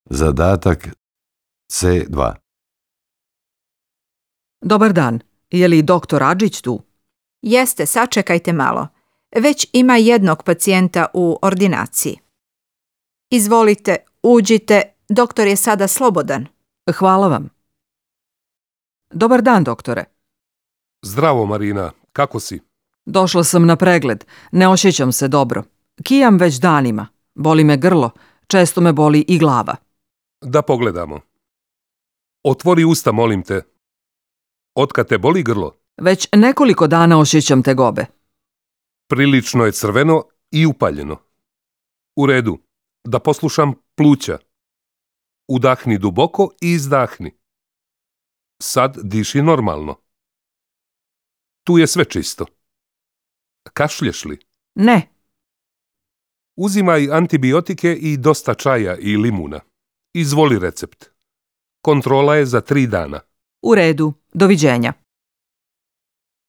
Zadatak C2. Dobar dan, je li doktor Adžić tu? Jeste, sačekajte malo. Već ima jednog pacijenta u ordinaciji. Izvolite, uđite, doktor je sada slobodan. Hvala vam. Dobar dan, doktore. Zdravo, Marina. Kako si? Došla sam na pregled. Ne osjećam se dobro. Kijam već danima. Boli me grlo. Često me boli i glava. Da pogledamo. Otvori usta, molim te. Otkad te boli grlo? Već nekoliko dana osjećam tegobe. Prilično je crveno i upaljeno. U redu. Da poslušam pluća. Udahni duboko i izdahni. Sad diši normalno. Tu je sve čisto. Kašlješ li? Ne. Uzimaj antibiotike i dosta čaja i limuna. Izvoli recept. Kontrola je za 3 dana. U redu. Doviđenja.